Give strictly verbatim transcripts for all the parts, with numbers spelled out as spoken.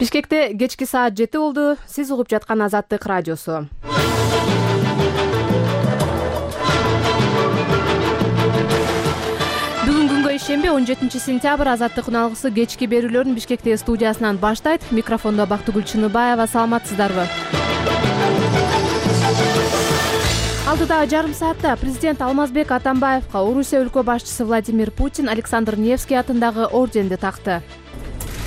Бишкекте кечки саат жети болду. Сиз угуп жаткан Азаттык радиосу. Бүгүн күнгө ишемби он жетинчи сентябрь Азаттык уналгысы кечки берүүлөрүн Бишкектеги студиясынан баштайт. Микрофондо Бактыгүл Чыныбаева. Саламатсыздарбы? Алдыдагы жарым саатта президент Алмазбек Атамбаевга Орусия өлкө башчысы Владимир Путин Александр Невский атындагы орденди такты.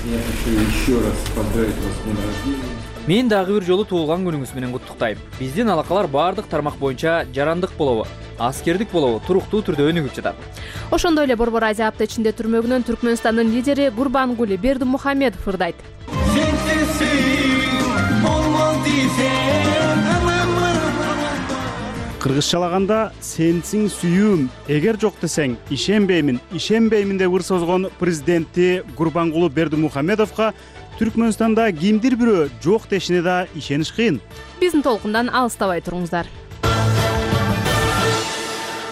Я хочу еще раз поздравить вас с днем рождения. Мен дагы бир жолу туулган күнүңүз менен куттуктайм. Биздин алакалар баардык тармак боюнча жарандык болобу, аскердик болобу туруктуу түрдө өнүгүп жатат. Ошондой эле Борбор Азия апта ичинде түрмөгүнөн Түркмөнстандын лидери Гурбангули Бердимухамедов ырдайт. Кыргызчалаганда сенсиң сүйүүм, эгер жок десең ишенбеймин, ишенбеймин деп ыр созгон президенти Гурбангулы Бердимухамедовго Түркмөнстанда кимдир бирөө жок дешине да ишениш кыйын. Биздин толкундан алыстабай туруңуздар.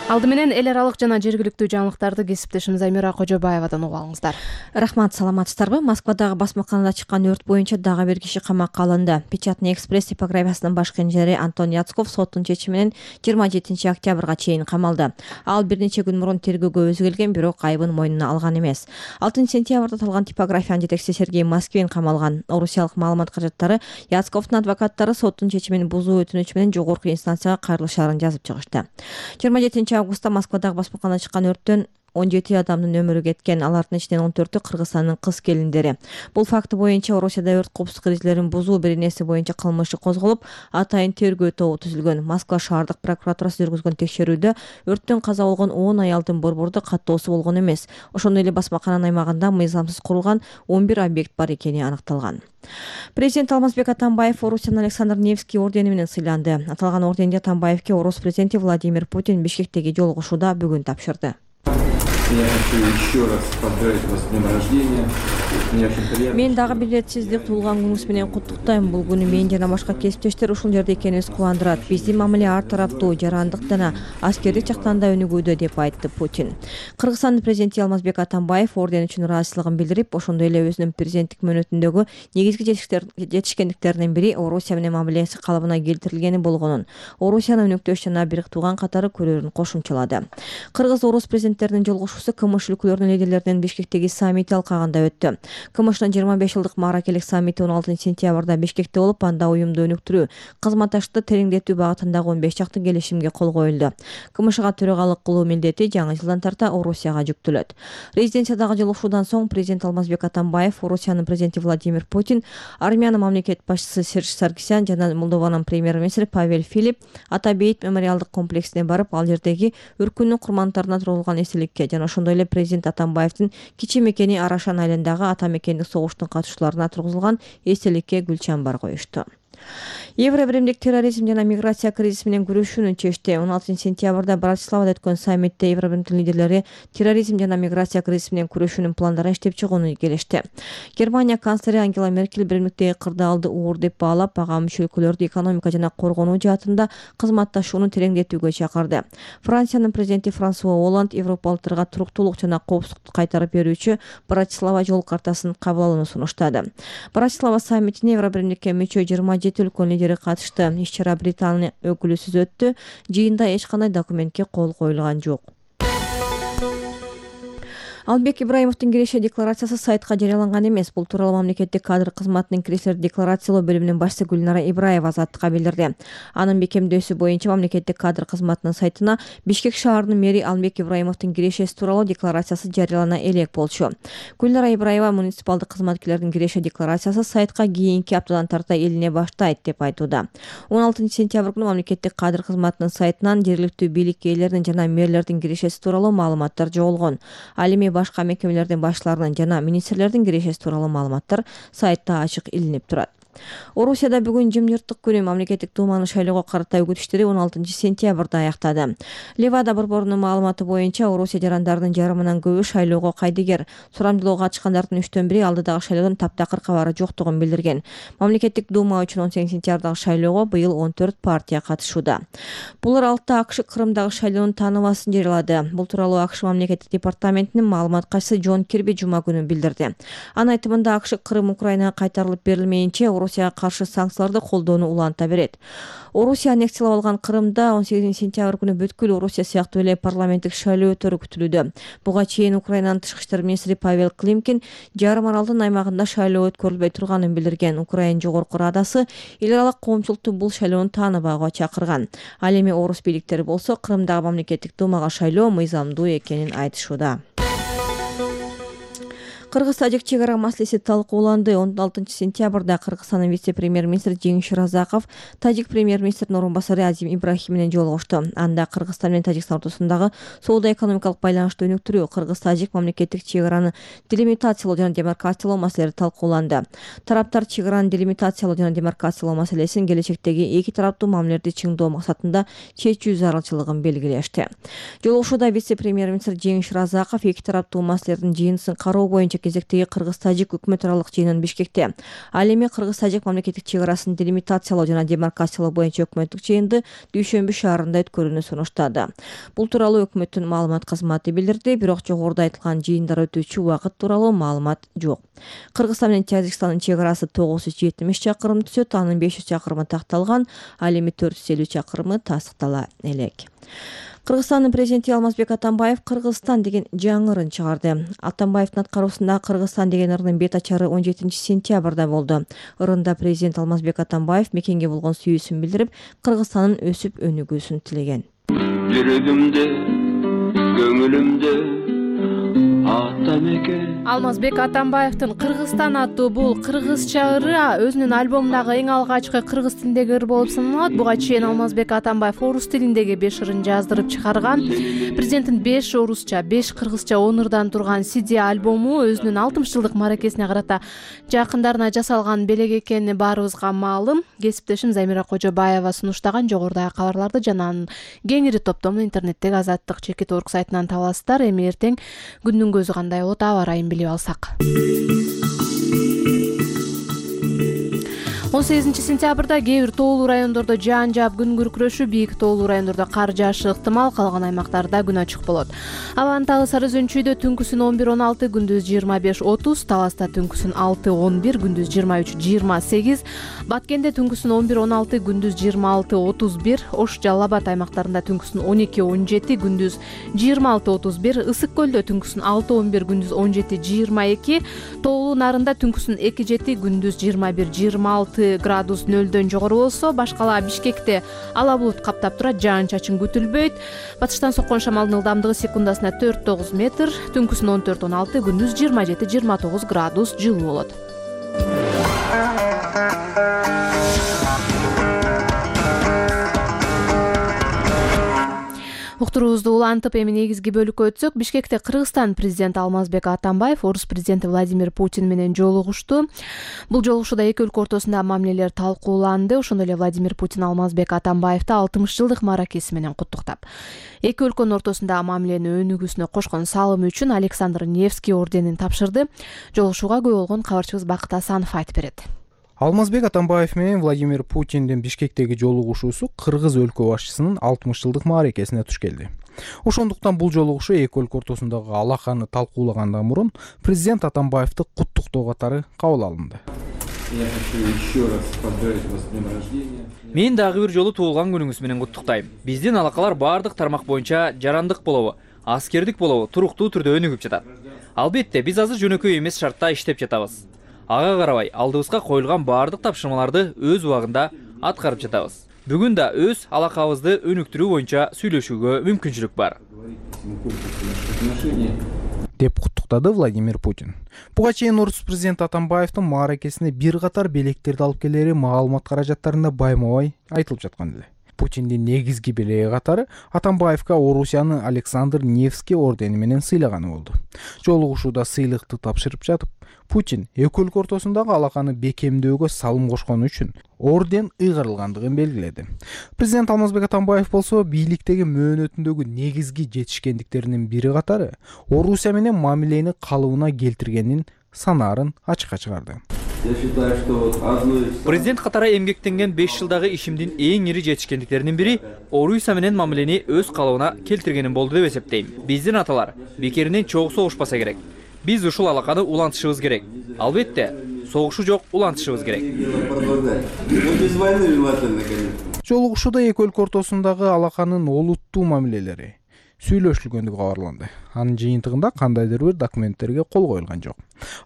Алды менен эл аралык жана жергиликтүү жаңылыктарды кесиптешим Замира Кожобаевадан угуп алыңыздар. Рахмат, саламатсыздарбы? Москвадагы басмаканада чыккан өрт боюнча дагы бир киши камакка алынды. Печатный экспресс типографиясынын башкы инженери Антон Яцков соттун чечими менен жыйырма жетинчи октябрга чейин камалды. Ал бир нече күн мурун тергөөгө өзү келген, бирок айыбын мойнуна алган эмес. алтынчы сентябрда аталган типографиянын жетекчиси Сергей Москвин камалган. Орусиялык маалымат каражаттары Яцковдун адвокаттары соттун чечимин бузуу өтүнүчү менен жогорку инстанцияга кайрылышаарын жазып чыгышты. жыйырма жетинчи августта Москвадагы басмаканада чыккан өрттөн он жети адамдын өмүрү кеткен. Алардын ичинен он төртү Кыргызстандын кыз келиндери. Бул факты боюнча Орусияда өрт коопсуздук эрежелерин бузуу беренеси боюнча кылмыш иши козголуп, атайын тергөө тобу түзүлгөн. Москва шаардык прокуратурасы жүргүзгөн текшерүүдө өрттөн каза болгон он аялдын борбордо каттоосу болгон эмес. Ошондой эле басмакананын аймагында мыйзамсыз курулган он бир объект бар экени аныкталган. Президент Алмазбек Атамбаев Орусиянын Александр Невский ордени менен сыйланды. Аталган орденди Атамбаевке Орус президенти Владимир Путин Бишкектеги жолугушууда бүгүн тапшырды. Я хочу еще раз поздравить вас с днем рождения. Мен дагы бир ирет сизди туулган күнүңүз менен куттуктайм. Бул күнү мен жана башка кесиптештер ушул жерде экенибиз кубандырат. Биздин мамиле ар тараптуу, жарандык жана аскердик жактан да өнүгүүдө, деп айтты Путин. Кыргызстандын президенти Алмазбек Атамбаев орден үчүн ыраазычылыгын билдирип, ошондой эле өзүнүн президенттик мөөнөтүндөгү негизги жетишкендиктеринин бири Орусия менен мамилеси калыбына келтирилгени болгонун, Орусияны өнүктүрүш жана бирик тууган катары көрөрүн кошумчалады. Кыргыз-орус президенттеринин жолугушуусу КМШ өлкөлөрүнүн лидерлеринин Бишкектеги саммити алкагында өттү. КМШнын жыйырма беш жылдык мааракелик саммити он алтынчы сентябрда Бишкекте болуп, анда уюмду өнүктүрүү, кызматташтыкты тереңдетүү багытындагы он беш жактуу келишимге кол коюлду. КМШга төрагалык кылуу милдети жаңы жылдан тарта Орусияга жүктөлөт. Резиденциядагы жолугушуудан соң президент Алмазбек Атамбаев, Орусиянын президенти Владимир Путин, Армиянын мамлекет башчысы Серж Саркисян жана Молдованын премьер-министри Павел Филипп Ата-Бейит мемориалдык комплексине барып, ал жердеги өркүндүн курмандыктарына тургузулган эстеликке жана ошондой эле президент Атамбаевдин кичи мекени Арашан айылындагы ата мекендик согуштун катышчыларына тургузулган эстеликке гүл чамбар коюшту. Евробиримдик терроризм жана миграция кризиси менен күрөшүүнү чечти. он алтынчы сентябрда Братиславада өткөн саммитте Евробиримдин лидерлери терроризм жана миграция кризиси менен күрөшүүнүн пландарын иштеп чыгууну келишти. Германия канцлери Ангела Меркель биримдиктеги кырдаалды уур деп баалап, ага мүчө өлкөлөрдү экономика жана коргонуу жаатында кызматташууну тереңдетүүгө чакырды. Франциянын президенти Франсуа Олланд европалыктарга туруктуулук жана коопсуздукту кайтарып берүүчү Братислава жол картасын кабыл алууну сунуштады. Братислава саммитине Евробиримдикке мүчө жыйырма жети өлкөнүн лидери катышты. Иш-чара Британия өкүлүсүз өттү. Жыйында эч кандай документке кол коюлган жок. Албек Ибраимовдун киреше декларациясы сайтка жарыяланган эмес. Бул тууралуу мамлекеттик кадр кызматынын кирешелерди декларациялоо бөлүмүнүн башчысы Гүлнара Ибраева Азаттыкка билдирди. Анын бекемдөөсү боюнча мамлекеттик кадр кызматынын сайтына Бишкек шаарынын мэри Албек Ибраимовдун кирешеси тууралуу декларациясы жарыялана элек болчу. Гүлнара Ибраева муниципалдык кызматкерлердин киреше декларациясы сайтка кийинки аптадан тарта илине баштайт деп айтууда. он алтынчы сентябрь күнү мамлекеттик кадр кызматынын сайтынан жергиликтүү бийлик ээлеринин жана мэрлердин кирешеси тууралуу маалыматтар жоголгон. Ал эми башка мекемелердин башчыларынын жана министрлердин кирешеси тууралуу маалыматтар сайтта ачык илинип турат. Орусияда бүгүн жымжырттык күнү. Мамлекеттик думаны шайлоого карата үгүт иштери он алтынчы сентябрда аяктады. Левада борборунун маалыматы боюнча Орусия жарандарынын жарымынан көбү шайлоого кайдыгер. Сурамдылоого катышкандардын үчтөн бири алдыдагы шайлоодон таптакыр кабары жоктугун билдирген. Мамлекеттик дума үчүн он сегизинчи сентябрдагы шайлоого быйыл он төрт партия катышууда. Булар алтыда АКШ Крымдагы шайлоонун тааныбасын жарыялады. Бул тууралуу АКШ мамлекеттик департаментинин маалымат катчысы Джон Кирби жума күнү билдирди. Анын айтымында АКШ Крым Украинага кайтарылып берилмейинче Орусияга каршы санкцияларды колдоону уланта берет. Орусия аннексиялап алган Крымда он сегизинчи сентябрь күнү бүткүл Орусия сыяктуу эле парламенттик шайлоо өтөрү күтүлүүдө. Буга чейин Украинанын тышкы иштер министри Павел Климкин жарым аралдын аймагында шайлоо өткөрүлбөй турганын билдирген. Украина жогорку радасы эл аралык коомчулукту бул шайлоону тааныбаага чакырган. Ал эми орус бийликтери болсо Крымдагы мамлекеттик думага шайлоо мыйзамдуу экенин айтышууда. Кыргыз-тажик чек ара маселеси талкууланды. он алтынчы сентябрда Кыргызстандын вице-премьер-министри Жеңиш Разаков тажик премьер-министринин орун басары Азим Ибрахим менен жолугушту. Анда Кыргызстан менен Тажикстан ортосундагы соода-экономикалык байланышты өнүктүрүү, Кыргыз-тажик мамлекеттик чек араны делимитациялоо жана демаркациялоо маселелери талкууланды. Тараптар чек араны делимитациялоо жана демаркациялоо маселесин келечектеги эки тараптуу мамилелерди чыңдоо максатында чечүү зарылчылыгын белгилешти. Жолугушууда вице-премьер-министр Жеңиш Разаков эки тараптуу маселелердин жыйынтысын кароо боюнча кезектеги Кыргыз-тажик өкмөт аралык жыйынын Бишкекте. Ал эми Кыргыз-тажик мамлекеттик чек арасын делимитациялоо жана демаркациялоо боюнча өкмөттүк жыйынды Дүйшөмбү шаарында өткөрүүнү сунуштады. Бул тууралуу өкмөттүн маалымат кызматы билдирди, бирок жогоруда айтылган жыйындар өтүүчү убакыт тууралуу маалымат жок. Кыргызстан менен Тажикстандын чек арасы тогуз жүз жетимиш чакырым түзөт, анын беш жүз чакырымы такталган, ал эми төрт жүз элүү чакырымы тастыктала элек. Кыргызстандын президенти Алмазбек Атамбаев Кыргызстан деген жаңы ырын чыгарды. Атамбаевдин аткаруусунда Кыргызстан деген ырдын бет ачары он жетинчи сентябрда болду. Ырында президент Алмазбек Атамбаев мекенге болгон сүйүүсүн билдирип, Кыргызстандын өсүп өнүгүүсүн тилеген. Жүрөгүмдө, көңүлүмдө ата мекен. Алмазбек Атамбаевдин Кыргызстан аттуу бул кыргызча ыры өзүнүн альбомундагы эң алгачкы кыргыз тилиндеги ыр болуп саналат. Буга чейин Алмазбек Атамбаев орус тилиндеги беш ырын жаздырып чыгарган. Президенттин беш орусча, беш кыргызча он ырдан турган Сиди альбому өзүнүн алтымыш жылдык мааракесине карата жакындарына жасалган белек экени баарыбызга маалым. Кесиптешим Замира Кожобаева сунуштаган жогорудагы кабарларды жана анын кеңири топтомун интернеттеги Азаттык чекит орг сайтынан таба аласыздар. Эми эртең күндүн көзү кандай болот, аба ырайын билип алсак. он сегизинчи сентябрда кээ бир тоолуу райондордо жаан жаап күн күркүрөшү, бийик тоолуу райондордо кар жаашы ыктымал, калган аймактарда күн ачык болот. Аба ынтагы Сары Өзөнчүйдө түнкүсүн он бир он алты, күндүз жыйырма беш отуз, Таласта түнкүсүн алты он бир, күндүз жыйырма үч жыйырма сегиз, Баткенде түнкүсүн он бир он алты, күндүз жыйырма алты отуз бир, Ош Жалал Абад аймактарында түнкүсүн он эки он жети, күндүз жыйырма алты отуз бир, Ысык Көлдө түнкүсүн алты он бир, күндүз он жети жыйырма эки, Тоолуу Нарында түнкүсүн эки жети, күндүз жыйырма бир жыйырма алты градус нөлдөн жогору болсо, башкала Бишкекте ала булут каптап турат, жаан-чачын күтүлбөйт. Батыштан соккон шамалдын ылдамдыгы секундасына төрт тогуз метр, түнкүсүн он төрт он алты, күндүз жыйырма жети жыйырма тогуз градус жылуу болот. Уктуруубузду улантып, эми негизги бөлүккө өтсөк, Бишкекте Кыргызстан президенти Алмазбек Атамбаев орус президенти Владимир Путин менен жолугушту. Бул жолугушууда эки өлкө ортосунда мамилелер талкууланды. Ошондой эле Владимир Путин Алмазбек Атамбаевди алтымыш жылдык мааракеси менен куттуктап, эки өлкөнүн ортосундагы мамиленин өнүгүүсүнө кошкон салымы үчүн Александр Невский орденин тапшырды. Жолугушууга күбө болгон кабарчыбыз Бакыт Асанов айтып берет. Алмазбек Атамбаев менен Владимир Путиндин Бишкектеги жолугушуусу Кыргыз өлкө башчысынын алтымыш жылдык мааракесине туш келди. Ошондуктан бул жолугушуу эки өлкө ортосундагы алаканы талкуулагандан мурун президент Атамбаевди куттуктоо катары кабыл алынды. Я хочу еще раз поздравить вас с днем рождения. Мен дагы бир жолу туулган күнүңүз менен куттуктайм. Биздин алакалар баардык тармак боюнча жарандык болобу, аскердик болобу туруктуу түрдө өнүгүп жатат. Албетте биз азыр жөнөкөй эмес шартта иштеп жатабыз. Ага карабай алдыбызга коюлган баардык тапшырмаларды өз убагында аткарып жатабыз. Бүгүн да өз алакабызды өнүктүрүү боюнча сүйлөшүүгө мүмкүнчүлүк бар, деп куттуктады Владимир Путин. Буга чейин орус президенти Атамбаевдин мааракесине бир катар белектерди алып келери маалымат каражаттарында байма-бай айтылып жаткан эле. Путиндин негизги белеги катары Атамбаевка Орусиянын Александр Невский ордени менен сыйлаганы болду. Жолугушууда сыйлыкты тапшырып жатып, Путин эки өлкө ортосундагы алаканы бекемдөөгө салым кошкону үчүн орден ыйгарылгандыгын белгиледи. Президент Алмазбек Атамбаев болсо бийликтеги мөөнөтүндөгү негизги жетишкендиктеринин бири катары Орусия менен мамилени калыбына келтиргенин санаарын ачыкка чыгарды. Президент катары эмгектенген беш жылдагы ишимдин эң ири жетишкендиктеринин бири Орусия менен мамилени өз калыбына келтиргеним болду деп эсептейм. Биздин аталар бекеринен чогуу согушпаса керек. Биз ушул алаканы улантышыбыз керек. Албетте, согушу жок, улантышыбыз керек. Жолугушууда эки өлкө ортосундагы алаканын олуттуу мамилелери сүйлөшүлгөндүгү кабарланды. Анын жыйынтыгында кандайдыр бир документтерге кол коюлган жок.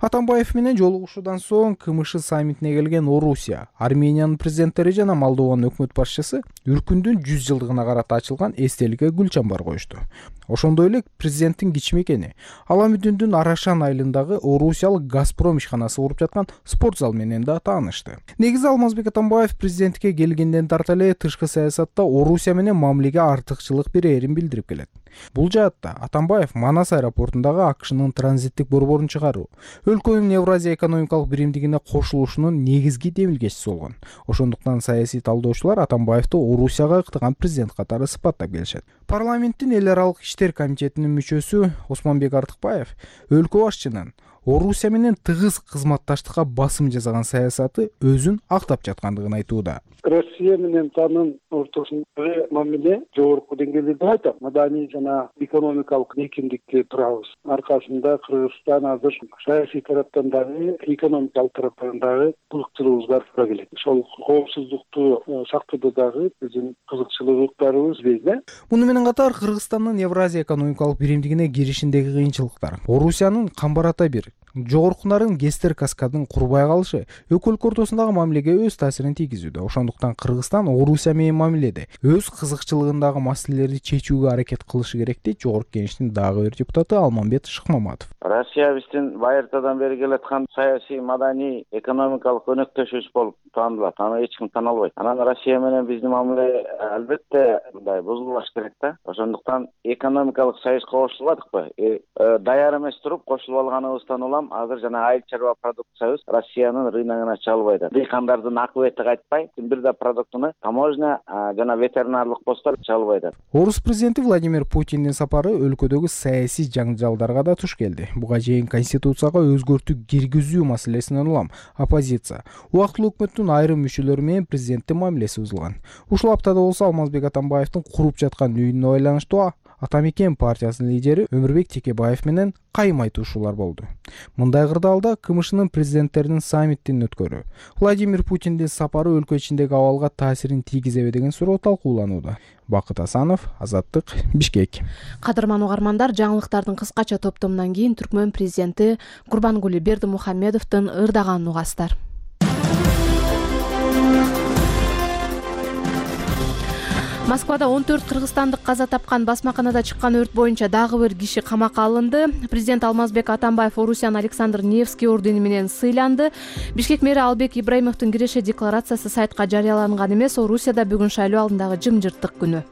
Атамбаев менен жолугушуудан соң КМШ саммитине келген Орусия, Армениянын президенттери жана Молдованын өкмөт башчысы Үркүндүн жүз жылдыгына карата ачылган эстеликке гүл чамбар коюшту. Ошондой эле президенттин кичимекени Аламүдүндүн Арашан айылындагы Орусиялык Газпром ишканасы куруп жаткан спорт зал менен да таанышты. Негизи Алмазбек Атамбаев президенттикке келгенден тарта эле тышкы саясатта Орусия менен мамилеге артыкчылык берерин билдирип келет. Бул жаатта Атамбаев Манас аэропортундагы АКШнын транзиттик борборун чыгаруу, өлкөнүн Евразия экономикалык биримдигине кошулушунун негизги демилгечиси болгон. Ошондуктан саясий талдоочулар Атамбаевди Орусияга ыктаган президент катары сыпаттап келишет. Парламенттин эл аралык иштер комитетинин мүчөсү Осмонбек Артыкбаев өлкө башчынын Орусия менен тыгыз кызматташтыкка басым жасаган саясаты өзүн актап жаткандыгын айтууда. Россия менен Танын ортосундагы мамиле жогорку деңгээлде деп айтам. Маданий жана экономикалык эркиндикке турабыз. Аркасында Кыргызстан азыр саясий тараптан дагы, экономикалык тараптан дагы кызыкчылыгыбызга тура келет. Ошол коопсуздукту сактоодо дагы биздин кызыкчылыктарыбыз бейне. Муну менен катар Кыргызстандын Евразия экономикалык биримдигине киришиндеги кыйынчылыктар, Орусиянын Камбарата бир, жогоркунарын Гестер каскадын курбай калышы эки өлкө ортосундагы мамилеге өз таасирин тийгизүүдө. Ошондуктан Кыргызстан Орусия менен мамиледе өз кызыкчылыгындагы маселелерди чечүүгө аракет кылышы керек дейт Жогорку Кеңештин дагы бир депутаты Алмамбет Шыкмаматов. Россия биздин байыртадан бери келаткан саясий, маданий, экономикалык өнөктөшүбүз болуп таанылат. Аны эч ким тана албайт. Анан Россия менен биздин мамиле албетте мындай бузулбаш керек да. Ошондуктан экономикалык союзга кошулбадыкпы? Даяр эмес туруп кошулуп алганыбыздан улам азыр жана айыл чарба продукциябыз Россиянын рыногуна чыга албайт. Дыйкандардын акыбети кайтпай, бир да продуктуну таможня жана ветеринарлык посттор чыга албайт. Орус президенти Владимир Путиндин сапары өлкөдөгү саясий жаңжалдарга да туш келди. Буга чейин конституцияга өзгөртүү киргизүү маселесинен улам оппозиция, убактылуу өкмөттүн айрым мүчөлөрү менен президенттин мамилеси бузулган. Ушул аптада болсо Алмазбек Атамбаевдин куруп жаткан үйүнө байланыштуу Атамекен партиясынын лидери Өмүрбек Текебаев менен кайым айтышуулар болду. Мындай кырдаалда КМШнын президенттеринин саммитин өткөрүү, Владимир Путиндин сапары өлкө ичиндеги абалга таасирин тийгизеби деген суроо талкууланууда. Бакыт Асанов, Азаттык, Бишкек. Кадырман угармандар, жаңылыктардын кыскача топтомунан кийин Түркмөн президенти Гурбангулы Бердимухамедовдун ырдаганын угасыздар. Москвада он төрт кыргызстандык каза тапкан басмаканада чыккан өрт боюнча дагы бир киши камакка алынды. Президент Алмазбек Атамбаев Орусиянын Александр Невский ордени менен сыйланды. Бишкек мэри Албек Ибраимовдун киреше декларациясы сайтка жарыяланган эмес. Орусияда бүгүн шайлоо алдындагы жымжырттык күнү.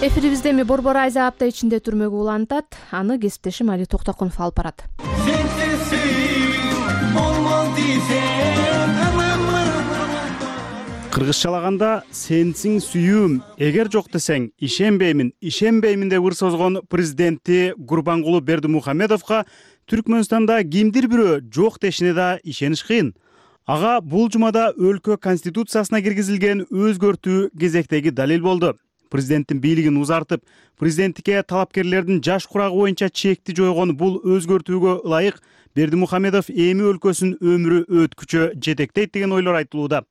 Эфирибизде эми Борбор Айза апта ичинде түрмөгө улантат. Аны кесиптешим Али Токтокунов алып барат. Кыргызчалаганда сенсиң сүйүүм, эгер жок десең ишенбеймин, ишенбеймин деп ыр созгон президенти Гурбангулы Бердимухамедовго Түркмөнстанда кимдир бирөө жок дешине да ишениш кыйын. Ага бул жумада өлкө конституциясына киргизилген өзгөртүү кезектеги далил болду. Президенттин бийлигин узартып, президенттикке талапкерлердин жаш курагы боюнча чекти жойгон бул өзгөртүүгө ылайык Бердимухамедов эми өлкөсүн өмүрү өткүчө жетектейт деген ойлор айтылууда.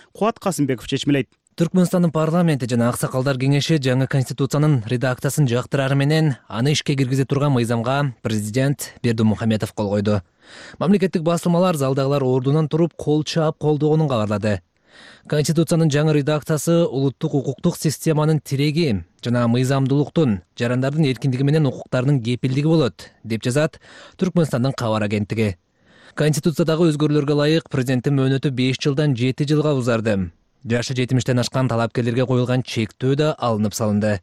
Кубат Касымбеков чечмелейт. Түркмөнстандын парламенти жана аксакалдар кеңеши жаңы конституциянын редакциясын жактырары менен аны ишке киргизе турган мыйзамга президент Бердимухамедов кол койду. Мамлекеттик басылмалар залдагылар ордунан туруп кол чаап колдогонун кабарлады. Конституциянын жаңы редакциясы улуттук укуктук системанын тиреги жана мыйзамдуулуктун, жарандардын эркиндиги менен укуктарынын кепилдиги болот, деп жазат Түркмөнстандын кабар агенттиги. Конституциядагы өзгөрүүлөргө ылайык президенттин мөөнөтү беш жылдан жети жылга узарды. Жашы жетимиштен ашкан талапкерлерге коюлган чектөө да алынып салынды.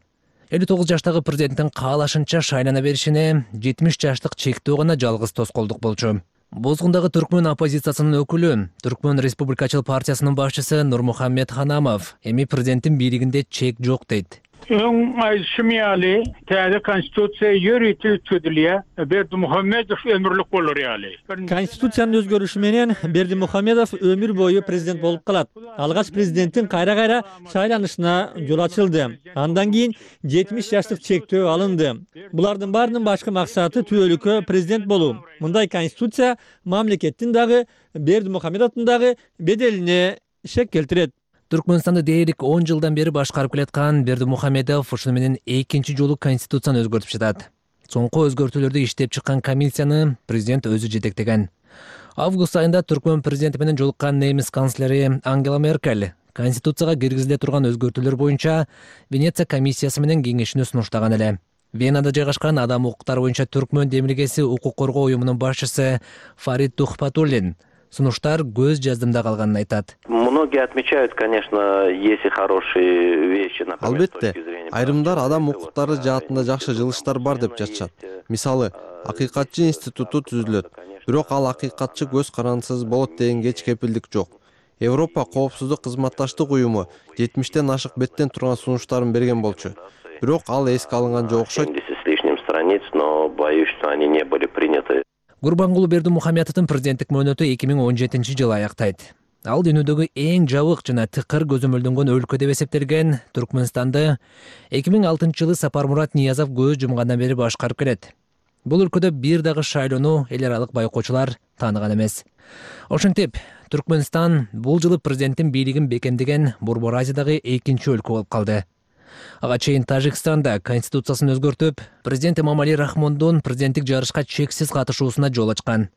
элүү тогуз жаштагы президенттин каалашынча шайлана беришине жетимиш жаштык чектөө гана жалгыз тоскоолдук болчу. Бозгундагы Түркмөн оппозициясынын өкүлү, Түркмөн Республикачыл партиясынын башчысы Нурмухаммед Ханамов эми президенттин бийлигинде чек жок дейт. Ön aýşymyaly, täze konstitusiýa ýöretip ötüdilýär. Berdimuhammedow ömürlük bolar ýaly. Konstitusiýanyň özgörüşi menen Berdimuhammedow ömür boyu prezident bolup kalat. Algaç prezidentin kayra-kayra şaýlanyşyna ýol açyldy. Andan keyin жетимиш жаштык чектөө алынды. Булардын баарынын башкы максаты түбөлүккө президент болуу. Мындай конституция мамлекеттин дагы Бердимухаммедовдун дагы беделине шек келтирет. Түркмөнстанды дээрлик он жылдан бери башкарып келаткан Бердимухаммедов ушуну менен экинчи жолу конституцияны өзгөртүп жатат. Соңку өзгөртүүлөрдү иштеп чыккан комиссияны президент өзү жетектеген. Август айында Түркмөн президенти менен жолуккан немис канцлери Ангела Меркель конституцияга киргизиле турган өзгөртүүлөр боюнча Венеция комиссиясы менен кеңешини сунуштаган эле. Венада жайгашкан адам укуктары боюнча Түркмөн демилгеси укук коргоо уюмунун башчысы Фарид Тухпатуллин сунуштар көз жаздымда калганын айтат. Многие отмечают, конечно, есть и хорошие вещи. Албетте, айрымдар адам укуктары жаатында жакшы жылыштар бар деп жатышат. Мисалы, акыйкатчы институту түзүлөт. Бирок ал акыйкатчы көз карандысыз болот дегенге эч кепилдик жок. Европа коопсуздук кызматташтык уюму жетимиштен ашык беттен турган сунуштарын берген болчу. Бирок ал эске алынган жок окшойт. семьдесят с лишним страниц, но боюсь, что они не были приняты. Гурбангулу Бердимухаммедовдун президенттик мөөнөтү эки миң он жетинчи жылы аяктайт. Ал дүйнөдөгү эң жабык жана тыкыр көзөмөлдөнгөн өлкө деп эсептелген Түркмөнстанды эки миң алтынчы жылы Сапармурат Ниязов көз жумгандан бери башкарып келет. Бул өлкөдө бир дагы шайлоону эл аралык байкоочулар тааныган эмес. Ошентип, Түркмөнстан бул жылы президенттин бийлигин бекемдеген Борбор Азиядагы экинчи өлкө болуп калды. Ага чейин Тажикстанда конституциясын өзгөртүп, президент Эмомали Рахмондун президенттик жарышка чексиз катышуусуна жол ачкан.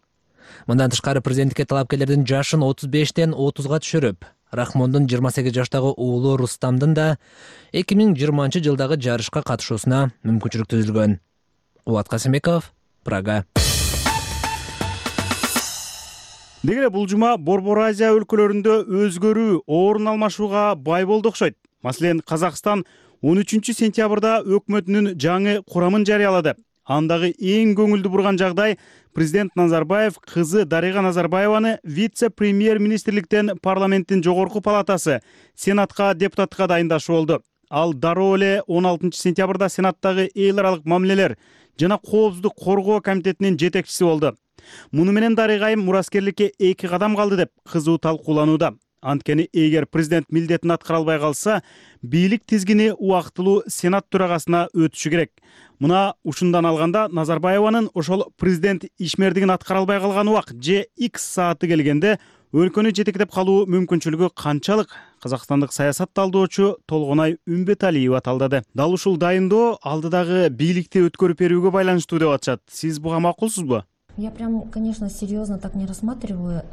Мындан тышкары президенттикке талапкерлердин жашын отуз бештен отузга түшүрүп, Рахмондун жыйырма сегиз жаштагы уулу Рустамдын да эки миң жыйырманчы жылдагы жарышка катышуусуна мүмкүнчүлүк түзүлгөн. Улат Касымбеков, Прага. Деги эле бул жума Борбор Азия өлкөлөрүндө өзгөрүү, орун алмашууга бай болду окшойт. Маселен, Казакстан он үчүнчү сентябрда өкмөтүнүн жаңы курамын жарыялады. Андагы эң көңүлдүү бурган жагдай президент Назарбаев кызы Дарига Назарбаеваны вице-премьер-министрликтен парламенттин жогорку палатасы Сенатка депутатка дайындашы болду. Ал дароо эле он алтынчы сентябрда Сенаттагы эл аралык мамилелер жана коопсуздук коргоо комитетинин жетекчиси болду. Муну менен Даригайым мураскерликке эки кадам калды деп кызуу талкууланууда. Анткени эгер президент милдетин аткара албай калса, бийлик тизгини убактылуу Сенат төрагасына өтүшү керек. Мына ушундан алганда Назарбаеванын ошол президент ишмердигин аткара албай калган убак же X сааты келгенде өлкөнү жетектеп калуу мүмкүнчүлүгү канчалык? Казакстандык саясат талдоочу Толгонай Үмбеталиева талдады. Дал ушул дайындоо алдыдагы бийликти өткөрүп берүүгө байланыштуу деп атышат. Сиз буга макулсузбу? Я прям, конечно, серьезно так не рассматриваю.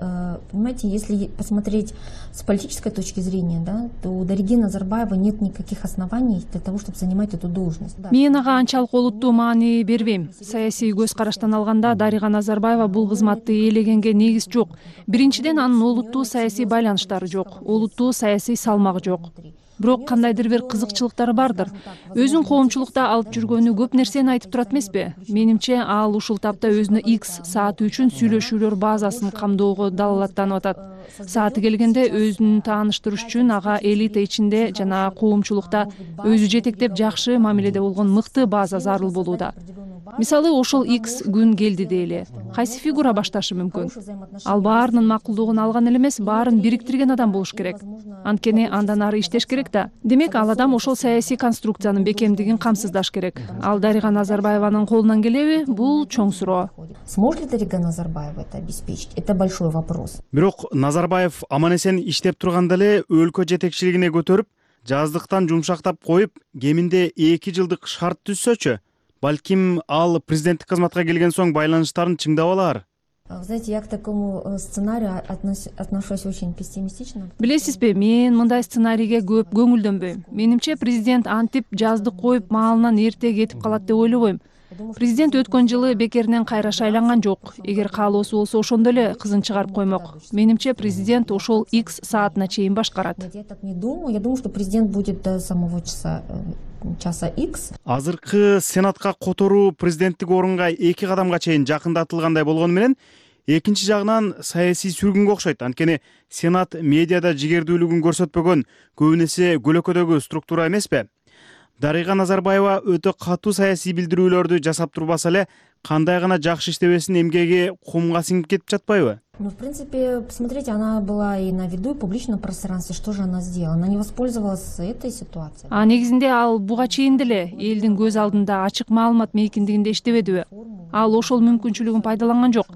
Понимаете, если посмотреть с политической точки зрения, да, то у Дариги Назарбаевой нет никаких оснований для того, чтобы занимать эту должность. Мен ага анчалык олуттуу маани бербейм. Саясий көз караштан алганда Дарига Назарбаева бул кызматты ээлегенге негиз жок. Биринчиден, анын олуттуу саясий байланыштары жок, олуттуу саясий салмагы жок. Бирок кандайдыр бир кызыкчылыктары бардыр. Өзүн коомчулукта алып жүргөнү көп нерсени айтып турат эмеспи? Менимче, ал ушул тапта өзүнө X сааты үчүн сүйлөшүүлөр базасын камдоого далалаттанып атат. Сааты келгенде өзүн тааныштырыш үчүн ага элита ичинде жана коомчулукта өзү жетектеп жакшы мамиледе болгон мыкты база зарыл болууда. Мисалы, ошол X күн келди дейли. Кайсы фигура башташы мүмкүн? Ал баарынын макулдугун алган эле эмес, баарын бириктирген адам болуш керек. Анткени андан ары иштеш керек да. Демек, ал адам ошол саясий конструкциянын бекемдигин камсыздаш керек. Ал Дарига Назарбаеванын колунан келеби? Бул чоң суроо. Сможет ли Дарига Назарбаева это обеспечить? Это большой вопрос. Бирок Назарбаев аман-эсен иштеп турганда эле өлкө жетекчилигине көтөрүп, жаздыктан жумшактап коюп, кеминде эки жылдык шарт түзсөчү, балким ал президенттик кызматка келген соң байланыштарын чыңдап алар. Знаете, я к такому сценарию отношусь очень пессимистично. Билесизби, мен мындай сценарийге көп көңүлдөнбөйм. Менимче, президент антип жаздык коюп, маалынан эрте кетип калат деп ойлобойм. Президент өткөн жылы бекеринен кайра шайланган жок. Эгер каалоосу болсо ошондо эле кызын чыгарып коймок. Менимче президент ошол X саатына чейин башкарат. Я так не думаю. Я думаю, что президент будет до самого часа часа X. Азыркы сенатка которуу президенттик орунга эки кадамга чейин жакындатылгандай болгону менен экинчи жагынан саясий сүргүнгө окшойт. Анткени сенат медиада жигердүүлүгүн көрсөтпөгөн көбүн эсе көлөкөдөгү структура эмеспи? Дарига Назарбаева өтө катуу саясий билдирүүлөрдү жасап турбаса эле кандай гана жакшы иштебесин эмгеги кумга сиңип кетип жатпайбы? Ну, в принципе, посмотрите, она была и на виду, и в публичном пространстве. Что же она сделала? Она не воспользовалась этой ситуацией. А негизинде ал буга чейин деле элдин көз алдында ачык маалымат мейкиндигинде иштебедиби? Ал ошол мүмкүнчүлүгүн пайдаланган жок.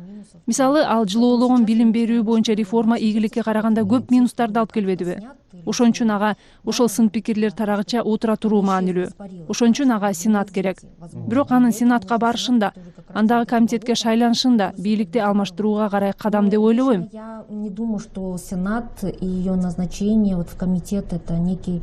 Мисалы, ал жылоологон билим берүү боюнча реформа ийгиликке караганда көп минустарды алып келбедиби? Ошон үчүн ага ошол сын пикирлер тарагыча отура туруу маанилүү. Ошон үчүн ага сенат керек. Бирок анын сенатка барышында, андагы комитетке шайланышында бийликти алмаштырууга карай кадам деп ойлобойм. Я не думаю, что сенат и ее назначение вот в комитет это некий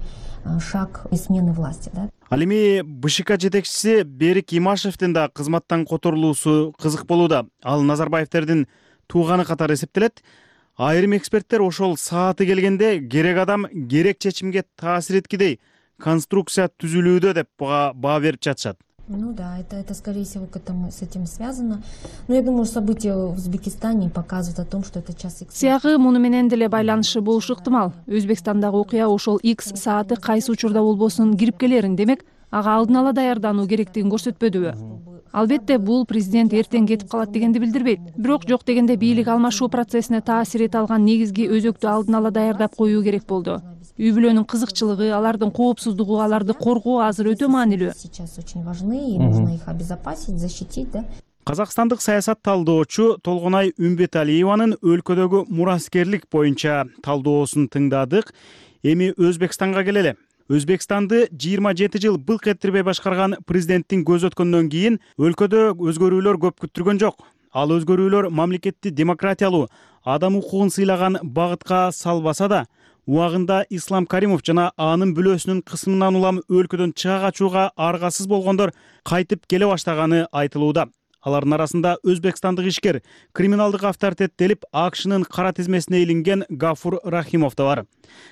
шаг смены власти, да? Ал эми БШК жетекчиси Берик Имашевдин да кызматтан которулуусу кызык болууда. Ал Назарбаевдердин тууганы катары эсептелет. Айрым эксперттер ошол сааты келгенде керек адам керек чечимге таасир эткидей конструкция түзүлүүдө деп буга баа берип жатышат. Ну да, это, это скорее всего к этому, с этим связано. Но я думаю, события в Узбекистане показывают о том, что это час X. Сиягы муну менен деле байланышы болушу ыктымал. Өзбекстандагы окуя ошол X сааты кайсы учурда болбосун кирип келерин, демек, ага алдын ала даярдануу керектигин көрсөтпөдүбү? Албетте, бул президент эртең кетип калат дегенди билдирбейт. Бирок жок дегенде бийлик алмашуу процессине таасир эте алган негизги өзөктү алдын ала даярдап коюу керек болду. Үй бүлөнүн кызыкчылыгы, алардын коопсуздугу, аларды коргоо азыр өтө маанилүү. Сейчас очень важны, и нужно их обезопасить, защитить, да? Казакстандык саясат талдоочу Толгонай Үмбеталиеванын өлкөдөгү мураскерлик боюнча талдоосун тыңдадык. Эми Өзбекстанга келели. Өзбекстанды жыйырма жети жыл былк этирбей башкарган президенттин көз өткөндөн кийин өлкөдө өзгөрүүлөр көп күттүргөн жок. Ал өзгөрүүлөр мамлекетти демократиялуу, адам укугун сыйлаган багытка салбаса да, убагында Ислам Каримов жана анын бүлөсүнүн кысымынан улам өлкөдөн чыга качууга аргасыз болгондор кайтып келе баштаганы айтылууда. Алардын арасында өзбекстандык ишкер, криминалдык авторитеттелип АКШнын кара тизмесине илинген Гафур Рахимов да бар.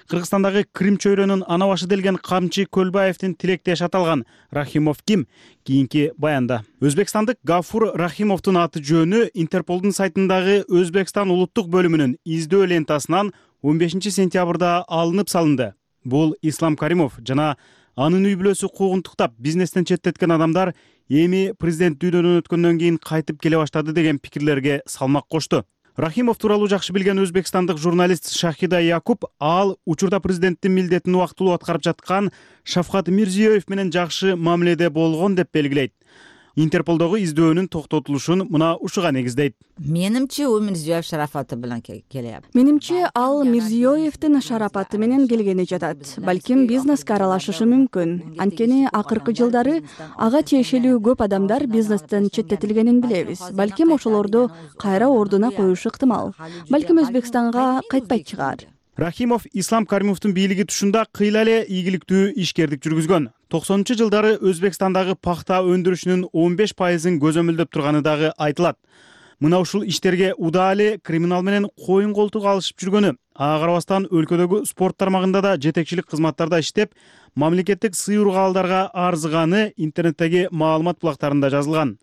Кыргызстандагы Крим чөйрөнүн ана башы делген Камчы Көлбаевдин тилектеш аталган Рахимов ким? Кийинки баянда. Өзбекстандык Гафур Рахимовдун аты жөнү Интерполдун сайтындагы Өзбекстан улуттук бөлүмүнүн издөө лентасынан он бешинчи сентябрда алынып салынды. Бул Ислам Каримов жана анын үй бүлөсү куугунтуктап бизнестен четтеткен адамдар эми президент дүйнөдөн өткөндөн кийин кайтып келе баштады деген пикирлерге салмак кошту. Рахимов тууралуу жакшы билген өзбекстандык журналист Шахида Якуб ал учурда президенттин милдетин убактылуу аткарып жаткан Шавкат Мирзиёев менен жакшы мамиледе болгон деп белгилейт. Интерполдогу издөөнүн токтотулушун мына ушуга негиздейт. Менимче, у Мирзиёев шарафаты менен келет. Менимче, ал Мирзиёевдин шарапаты менен келгени жатат. Балким бизнеске аралашышы мүмкүн. Анткени акыркы жылдары ага тиешелүү көп адамдар бизнестен четтетилгенин билебиз. Балким ошолорду кайра ордуна коюшу ыктымал. Балким Өзбекстанга кайтпайт чыгар. Рахимов Ислам Каримовдун бийлиги тушунда кыйла эле ийгиликтүү ишкердик жүргүзгөн. токсонунчу жылдары Өзбекстандагы пахта өндүрүшүнүн он беш пайызын көзөмөлдөп турганы дагы айтылат. Мына ушул иштерге удаа эле криминал менен коюн колтук алышып жүргөнү, ага карабастан өлкөдөгү спорт тармагында да жетекчилик кызматтарда иштеп, мамлекеттик сый ургаалдарга арзыганы интернеттеги маалымат булактарында жазылган.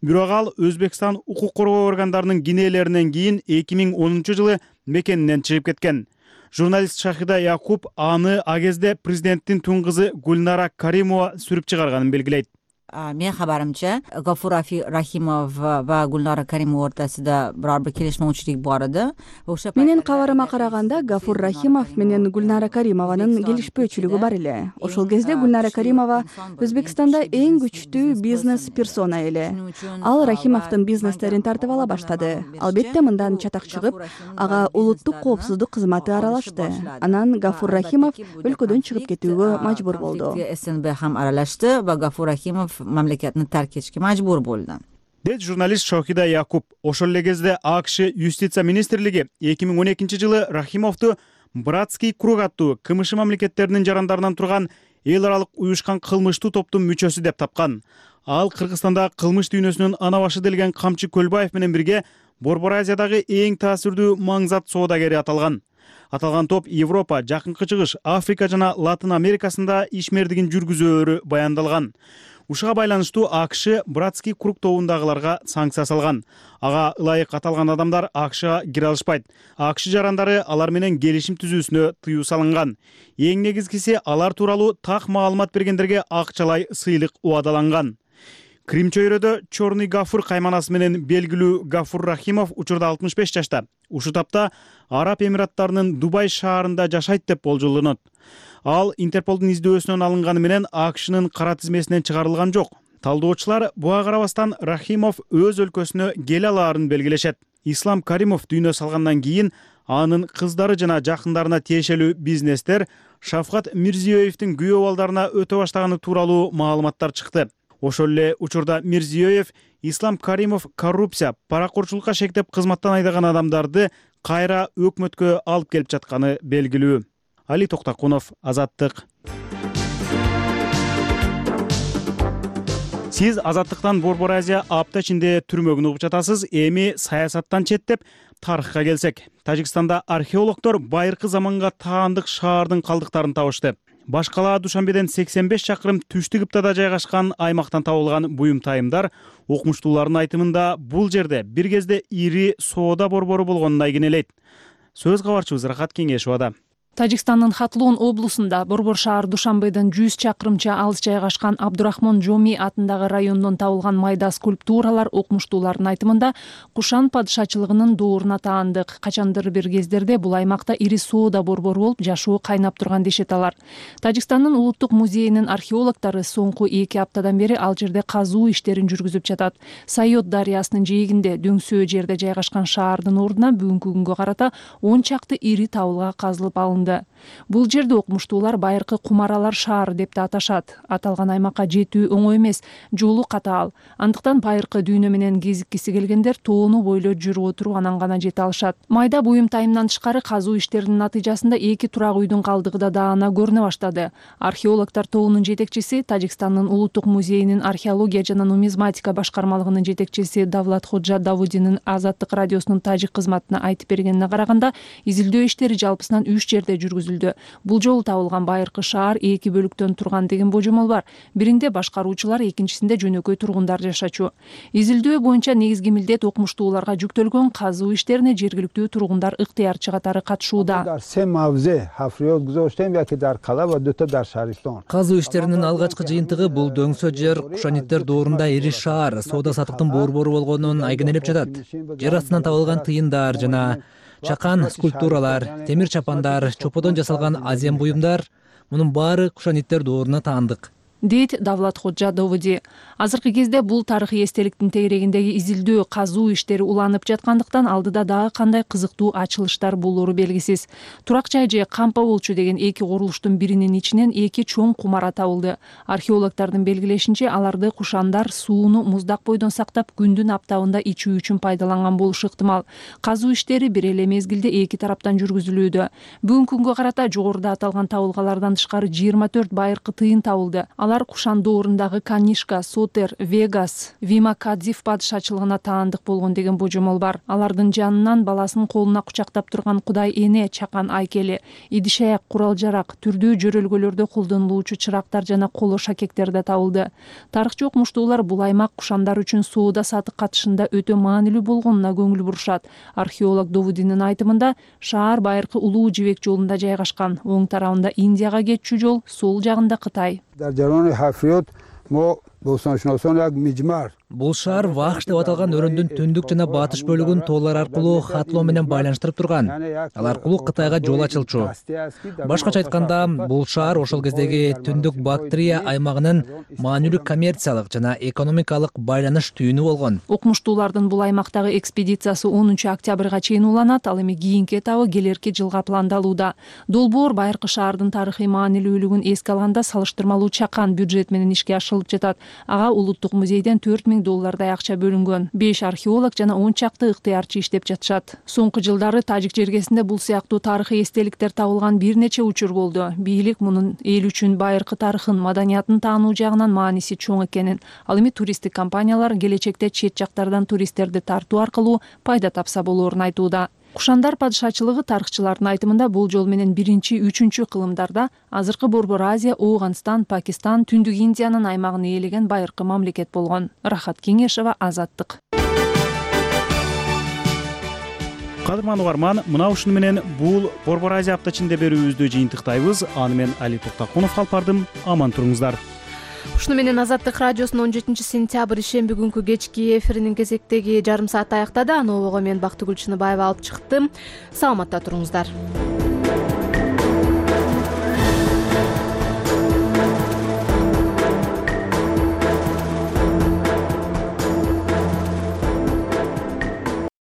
Бирок ал Өзбекстан укук коргоо органдарынын кинээлеринен кийин эки миң онунчу жылы мекенинен чыгып кеткен. Журналист Шахида Якуб аны а кезде президенттин тун кызы Гульнара Каримова сүрүп чыгарганын белгилейт. Мен кабарымча, Гафур Рахимов ва Гульнара Каримова ортосунда бирор бир келишмөөчүлүк бар эди. Менин кабарыма караганда Гафур Рахимов менен Гульнара Каримованын келишпөөчүлүгү бар эле. Ошол кезде Гульнара Каримова Өзбекстанда эң күчтүү бизнес персона эле. Ал Рахимовдун бизнестерин тартып ала баштады. Албетте мындан чатак чыгып, ага улуттук коопсуздук кызматы аралашты. Анан Гафур Рахимов өлкөдөн чыгып кетүүгө мажбур болду. СНБ ham aralashdi va Гафур Рахимов мамлекетни тарк этишке мажбур болду. Дейт журналист Шохида Якуб. Ошол эле кезде АКШ юстиция министрлиги эки миң он экинчи жылы Рахимовду Братский круг аттуу КМШ мамлекеттеринин жарандарынан турган эл аралык уюшкан кылмыштуу топтун мүчөсү деп тапкан. Ал Кыргызстанда кылмыш дүйнөсүнүн ана башы делген Камчы Көлбаев менен бирге Борбор Азиядагы эң таасирдүү маңзат соодагери аталган. Аталган топ Европа, Жакынкы Чыгыш, Африка жана Латын Америкасында ишмердигин жүргүзөөрү баяндалган. Ушуга байланыштуу АКШ Братский круг тобундагыларга санкция салган. Ага ылайык аталган адамдар АКШга кире алышпайт. АКШ жарандары алар менен келишим түзүүсүнө тыюу салынган. Эң негизгиси алар тууралуу так маалымат бергендерге акчалай сыйлык убадаланган. Крим чөйрөдө Чорный Гафур кайманасы менен белгилүү Гафур Рахимов учурда алтымыш беш жашта. Ушу тапта Араб Эмираттарынын Дубай шаарында жашайт деп болжолдонот. Ал Интерполдун издөөсүнөн алынганы менен АКШнын кара тизмесинен чыгарылган жок. Талдоочулар буга карабастан Рахимов өз өлкөсүнө келе алаарын белгилешет. Ислам Каримов дүйнө салгандан кийин анын кыздары жана жакындарына тиешелүү бизнестер Шавкат Мирзиёевдин күйөө балдарына өтө баштаганы тууралуу маалыматтар чыкты. Ошол эле учурда Мирзиёев Ислам Каримов коррупция, паракорчулукка шектеп кызматтан айдаган адамдарды кайра өкмөткө алып келип жатканы белгилүү. Али Токтакунов, Азаттык. Сиз Азаттыктан Борбор Азия апта ичинде түрмөгүн угуп жатасыз. Эми саясаттан четтеп тарыхка келсек. Тажикстанда археологдор байыркы заманга таандык шаардын калдыктарын табышты. Баш калаа Душанбеден сексен беш чакырым түштүк Ыптада жайгашкан аймактан табылган буюм тайымдар окумуштуулардын айтымында бул жерде бир кезде ири соода борбору болгонун айгинелейт. Сөз кабарчыбыз Рахат Кеңешова. Тажикстандын Хатлон облусунда борбор шаар Душанбеден жүз чакырымча алыс жайгашкан Абдурахмон Жоми атындагы райондон табылган майда скульптуралар окумуштуулардын айтымында Кушан падышачылыгынын дооруна таандык. Качандыр бир кездерде бул аймакта ири соода борбору болуп жашоо кайнап турган дешет алар. Тажикстандын улуттук музейинин археологдору соңку эки аптадан бери ал жерде казуу иштерин жүргүзүп жатат. Сайот дарыясынын жээгинде дөңсөө жерде жайгашкан шаардын ордуна бүгүнкү күнгө карата он чакты ири табылга казылып алынды. Бул жерде окумуштуулар байыркы кумаралар шаары деп да аташат. Аталган аймакка жетүү оңой эмес, жолу катаал. Андыктан байыркы дүйнө менен кезиккиси келгендер тоону бойлой жүрүп отуруп анан гана жете алышат. Майда буюм тайымдан тышкары казуу иштеринин натыйжасында эки турак үйдүн калдыгы да даана көрүнө баштады. Археологдор тобунун жетекчиси, Тажикстандын улуттук музейинин археология жана нумизматика башкармалыгынын жетекчиси Давлатходжа Давудинин Азаттык радиосунун тажик кызматына айтып бергенине караганда, изилдөө иштери жалпысынан үч жерде жүргүзүлдү. Бул жолу табылган байыркы шаар эки бөлүктөн турган деген божомол бар. Биринде башкаруучулар, экинчисинде жөнөкөй тургундар жашачу. Изилдөө боюнча негизги милдет окумуштууларга жүктөлгөн казуу иштерине жергиликтүү тургундар ыктыярчы катары катышууда. Казуу иштеринин алгачкы жыйынтыгы бул дөңсө жер Кушаниттер доорунда ири шаар, соода саттыктын борбору болгонун айгинелеп жатат. Жер астынан табылган тыйындар жана чакан скульптуралар, темир чапандар, чоподон жасалган азем буюмдар — мунун баары Кушаниттер дооруна таандык, дейт Давлатходжа Давуди. Азыркы кезде бул тарыхый эстеликтин тегерегиндеги изилдөө, казуу иштери уланып жаткандыктан алдыда дагы кандай кызыктуу ачылыштар болору белгисиз. Турак жай же кампа болчу деген эки курулуштун биринин ичинен эки чоң кумара табылды. Археологдордун белгилешинче, аларды кушандар сууну муздак бойдон сактап, күндүн аптабында ичүү үчүн пайдаланган болушу ыктымал. Казуу иштери бир эле мезгилде эки тараптан жүргүзүлүүдө. Бүгүнкү күнгө карата жогоруда аталган табылгалардан тышкары жыйырма төрт байыркы тыйын табылды. Алар Кушан доорундагы Канишка, Сотер, Вегас, Вимакадзив падышачылыгына таандык болгон деген божомол бар. Алардын жанынан баласын колуна кучактап турган Кудай эне, чакан айкели, идиш аяк, курал жарак, түрдүү жөрөлгөлөрдө колдонулуучу чырактар жана коло шакектер да табылды. Тарыхчы окумуштуулар бул аймак кушандар үчүн соода сатык катышында өтө маанилүү болгонуна көңүл бурушат. Археолог Довудинин айтымында, шаар байыркы улуу жибек жолунда жайгашкан. Оң тарабында Индияга кетчү жол, сол жагында Кытай. Бул шаар Вахш деп аталган өрөндүн түндүк жана батыш бөлүгүн тоолор аркылуу Хатло менен байланыштырып турган. Ал аркылуу Кытайга жол ачылчу. Башкача айтканда, бул шаар ошол кездеги түндүк Бактрия аймагынын маанилүү коммерциялык жана экономикалык байланыш түйүнү болгон. Окумуштуулардын бул аймактагы экспедициясы онунчу октябрга чейин уланат, ал эми кийинки этабы келерки жылга пландалууда. Долбоор байыркы шаардын тарыхый маанилүүлүгүн эске алганда салыштырмалуу чакан бюджет менен ишке ашырылып жатат. ага улуттук музейден төрт миң доллардай акча бөлүнгөн. беш археолог жана он чакты ыктыярчы иштеп жатышат. Соңку жылдары Тажик жергесинде бул сыяктуу тарыхый эстеликтер табылган бир нече учур болду. Бийлик мунун эл үчүн байыркы тарыхын, маданиятын таануу жагынан мааниси чоң экенин, ал эми туристтик компаниялар келечекте чет жактардан туристтерди тартуу аркылуу пайда тапса болоорун айтууда. Кушандар падышачылыгы тарыхчылардын айтымында бул жол менен биринчи, үчүнчү кылымдарда азыркы Борбор Азия, Ооганстан, Пакистан, Түндүк Индиянын аймагын ээлеген байыркы мамлекет болгон. Рахат Кеңешова, Азаттык. Кадырман угарман, мына ушуну менен бул Борбор Азия апта ичинде берүүбүздү жыйынтыктайбыз. Аны мен Али Токтакунов алып бардым. Аман туруңуздар. Ушуну менен Азаттык радиосунун он жетинчи сентябрь ишемби күнкү кечки эфиринин кезектеги жарым саат аяктады. Аны обого мен Бактыгүл Чыныбаева алып чыктым. Саламатта туруңуздар.